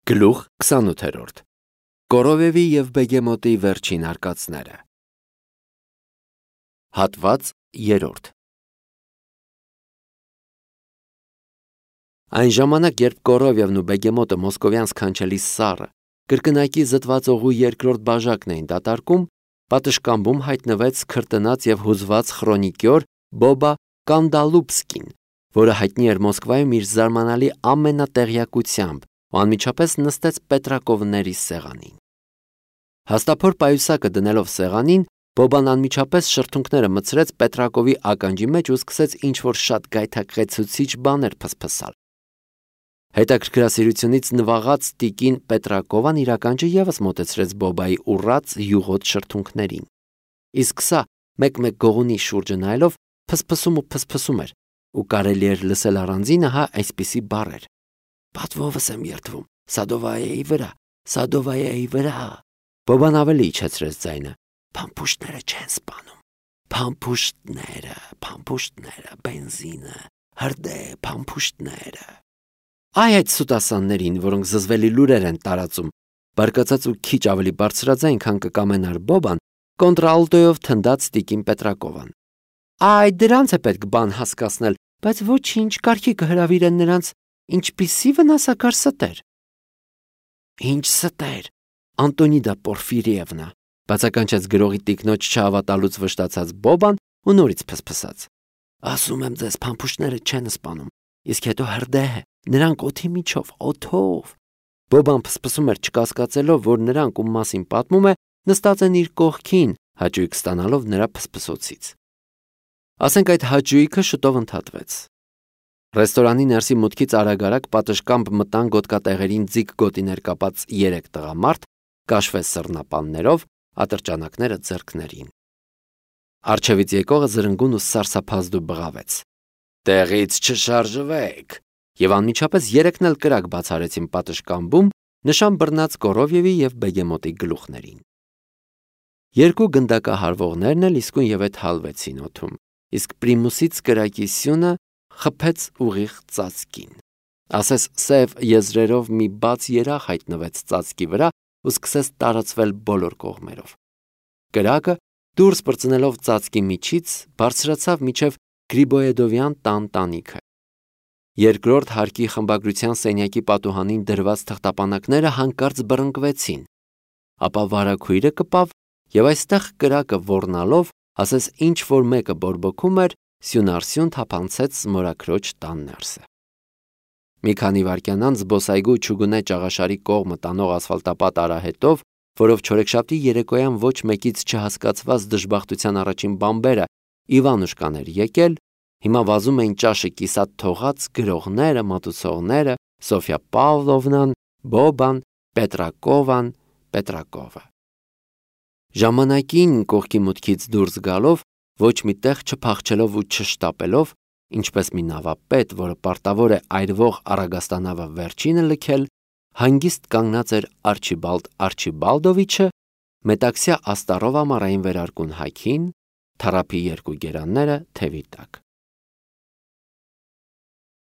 Գլուխ 28 Կորովևի և Բեգեմոտի վերջին արկածները Հատված 3 Այն ժամանակ, երբ Կորովևն ու Բեգեմոտը մոսկովյան սքանչելի սառը կրկնակի զտված օղու երկրորդ բաժակն էին դատարկում, պատշգամբում հայտնվեց քրտնած և հուզված խրոնիկյոր Բոբա Կանդալուբսկին, որը հայտնի էր Մոսկվայում իր զարմանալի ամենատեղյակությամբ ու անմիջապես նստեց Պետրակովների սեղանին։ Հաստափոր պայուսակը դնելով սեղանին, Բոբան անմիջապես շրթունքները մտցրեց Պետրակովի ականջի մեջ ու սկսեց ինչ-որ շատ գայթակղեցուցիչ բաներ փսփսալ։ Հետաքրքրասիրությունից նվաղած տիկին Պետրակովան իր ականջը ևս մոտեցրեց Բոբայի ուռած յուղոտ շրթունքներին։ Իսկ սա մեկ-մեկ գողունի շուրջը նայելով փսփսում էր, ու կարելի էր լսել առանձին ահա այսպիսի բառեր. «Պատվովս եմ երդվում, Սադովայեի վրա»։ Բոբան ավելի իջեցրեց ձայնը. «Փամփուշտները չեն սպանում, փամփուշտները, բենզինը, հրդե փամփուշտները»։ Այ այդ սուտասաններին, որոնք զզվելի լուրեր են տարածում, բարկացած ու քիչ ավելի բարձրաձայն, քան կկամենար Բոբան, կոնտրալտոյով թնդաց տիկին Պետրակովան։ Այ դրանց է պետք բան հասկացնել, բայց ոչինչ, կարգի կհրավիրեն նրանց, ինչպիսի վնասակար ստեր։ Ինչ ստեր, Անտոնիդա Պորֆիրիևնա, բացականչեց գրողի տիկնոջ չհավատալուց վշտացած Բոբան ու նորից փսփսաց։ Ասում եմ ձեզ, փամփուշտները չեն սպանում, իսկ հետո հրդե, նրանք օդի միջով, օդով։ Բոբան փսփսում էր չկասկածելով, որ նրանք, ում մասին պատմում է, նստած են իր կողքին, հաճույք ստանալով նրա փսփսոցից։ Ասենք այդ հաճույքը շուտով ընդհատվեց։ Ռեստորանի ներսի մուտքից արագ-արագ պատշգամբ մտան գոտկատեղերին ձիգ գոտիներ կապած 3 տղամարդ, կաշվե սռնապաններով, ատրճանակները ձեռքներին։ Առջևից եկողը զրնգուն ու սարսափազդու բղավեց. «Տեղից չշարժվեք», եւ անմիջապես երեքն էլ կրակ բացարեցին պատշգամբում, նշան բռնած Կորովևի եւ Բեգեմոտի գլուխներին։ Երկու գնդակահարվողներն էլ իսկույն եւ այդ հալվեցին օդում, իսկ Պրիմուսից կրակի սյունը խփեց ուղիղ ծածկին։ Ասես սև եզրերով մի բաց երախ հայտնվեց ծածկի վրա ու սկսեց տարածվել բոլոր կողմերով։ Կրակը, դուրս պրծնելով ծածկի միջից, բարձրացավ մինչև Գրիբոեդովյան տան տանիքը։ Երկրորդ հարկի խմբագրության սենյակի պատուհանին դրված թղթապանակները հանկարծ բռնկվեցին, ապա վարագույրը կպավ եւ այստեղ կրակը ոռնալով, ասես ինչ որ մեկը բորբոքում էր, սյունարսյուն թափանցեց մորաքրոջ տան ներսը։ Մի քանի վայրկյան անց զբոսայգու չուգունե ճաղաշարի կողմը տանող ասֆալտապատ արահետով, որով չորեքշաբթի երեկոյան ոչ մեկից չհասկացված դժբախտության առաջին բամբերը Իվանուշկան էր եկել, հիմա վազում էին ճաշը կիսատ թողած գրողները, մատուցողները, Սոֆյա Պավլովնան, Բոբան, Պետրակովը։ Ժամանակին կողքի մուտքից դուրս գալով, ոչ մի տեղ չփախչելով ու չշտապելով, ինչպես մի նավապետ, որը պարտավոր է այրվող Արագաստանավը վերջինը լքել, հանգիստ կանգնած էր Արչիբալդ Արչիբալդովիչը, մետաքսյա աստառով ամառային վերարկուն հագին, թառափի երկու գերանները թևի տակ։